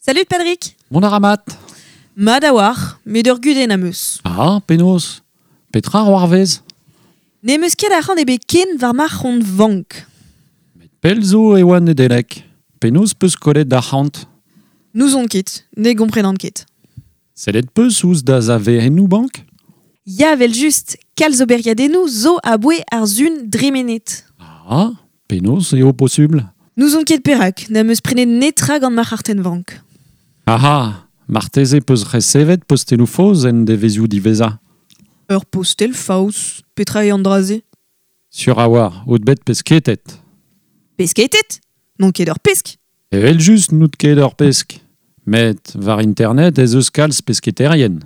Salut Padrik. Mont a ra mat. Mat a-walc'h, met ur gudenn am eus. Ah, penaos? Petra c'hoarvez? N'em eus ket arc'hant ebet ken war ma c'hont vank. Met pell zo e oa Nedeleg. Penaos 'peus kollet arc'hant? N'ouzon ket, ne gomprenan ket. Sellet 'peus ouzh da zaverennoù bank? Ya, evel-just, kalz oberiadennoù zo aboe ar sun dremenet. Ah, penaos eo posubl? N'ouzon ket perak, n'am eus prenet netra gant ma c'hartenn-vank. Aha, marteze 'peus resevet posteloù faos en devezhioù diwezhañ. Ur postel faos, petra eo an dra-se? Sur a-walc'h out bet pesketet. Pesketet? N'on ket ur pesk. Evel-just n'out ket ur pesk. Met war internet ez eus kalz pesketerien.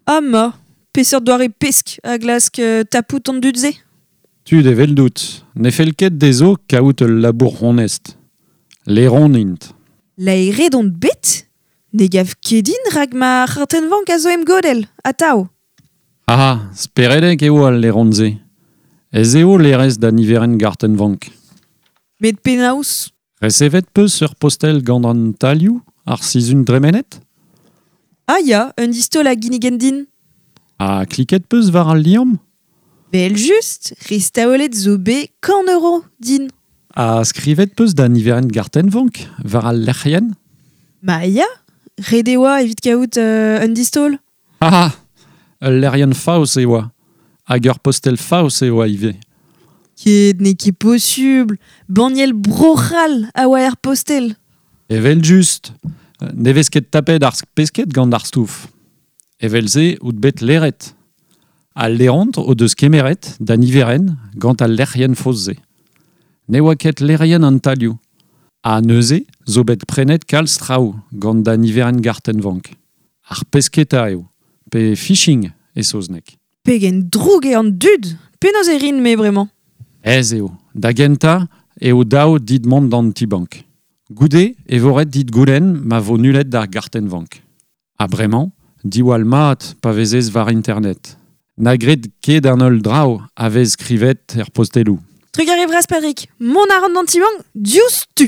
Ah ma, peseurt doare pesk a glask tapout an dud-se? Tud eveldout, ne fell ket dezho kaout ul labour onest. Laeron int. Laeret on bet? Ne gav ket din rak ma c'hartenn-vank a zo em godell, atav. Ah, speredek eo al laeron-se. Ez eo laerezh da niverenn gartenn-vank. Met penaos? Resevet 'peus ur postel gant an talioù ar sizhun dremenet? Ah ya, un distaol a ginnigen din. Ha kliket 'peus war al liamm? Evel-just, restaolet zo bet 100 euro din. Ha skrivet 'peus da niverenn gartenn-vank war al lec'hienn? Ma ya, ret e oa evit kaout un distaol. Ah, ul lec'hienn faos e oa. Hag ur postel faos e oa ivez. Ket n'eo ket posubl. Banniel Bro-C'hall a oa er postel. Evel-just, ne vez ket tapet ar pesked gant ar stouff. Evel-se out bet laeret. Al laeront o deus kemeret da niverenn gant al lec'hienn faos-se. Ne oa ket laerien an talioù. Ha neuze zo bet prenet kalz traoù gant da niverenn gartenn-vank. Ar pesketa eo, pe phishing e saozneg. Pegen droug eo an dud! Penaos e rin-me bremañ? Aes eo. Da gentañ eo dav dit mont d'an ti-bank. Goude e vo ret dit goulenn ma vo nullet ar gartenn-vank. Ha bremañ, diwall mat pa vezez war internet. Na gred ket an holl draoù a vez skrivet er posteloù. Trugarez vras Padrig. Mont a ran d'an ti-bank diouzhtu.